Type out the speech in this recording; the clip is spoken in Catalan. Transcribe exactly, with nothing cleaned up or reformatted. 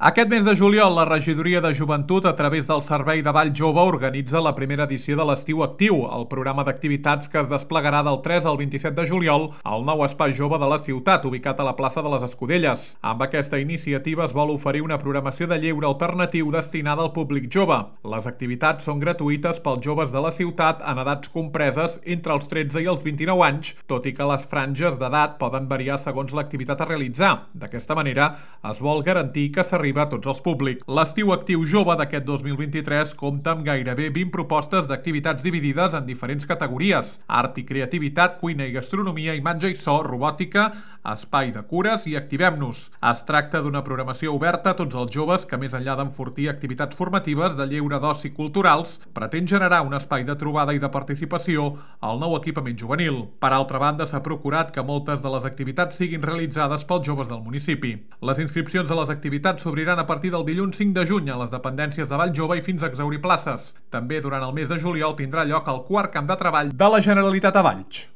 Aquest mes de juliol, la Regidoria de Joventut, a través del Servei de Ball Jove, organitza la primera edició de l'Estiu Actiu, el programa d'activitats que es desplegarà del tres al vint-i-set de juliol al nou Espai Jove de la ciutat, ubicat a la plaça de les Escudelles. Amb aquesta iniciativa es vol oferir una programació de lleure alternatiu destinada al públic jove. Les activitats són gratuïtes pels joves de la ciutat en edats compreses entre els tretze i els vint-i-nou anys, tot i que les franges d'edat poden variar segons l'activitat a realitzar. D'aquesta manera, es vol garantir que s'arriba a tots els públics. L'Estiu Actiu Jove d'aquest dos mil vint-i-tres compta amb gairebé vint propostes d'activitats dividides en diferents categories: art i creativitat, cuina i gastronomia, imatge i so, robòtica, espai de cures i Activem-nos. Es tracta d'una programació oberta a tots els joves que, més enllà d'enfortir activitats formatives de lleure d'oci culturals, pretén generar un espai de trobada i de participació al nou equipament juvenil. Per altra banda, s'ha procurat que moltes de les activitats siguin realitzades pels joves del municipi. Les inscripcions a les activitats s'obriran a partir del dilluns cinc de juny a les dependències de Vall Jove i fins a exhaurir places. També durant el mes de juliol tindrà lloc el quart camp de treball de la Generalitat a Valls.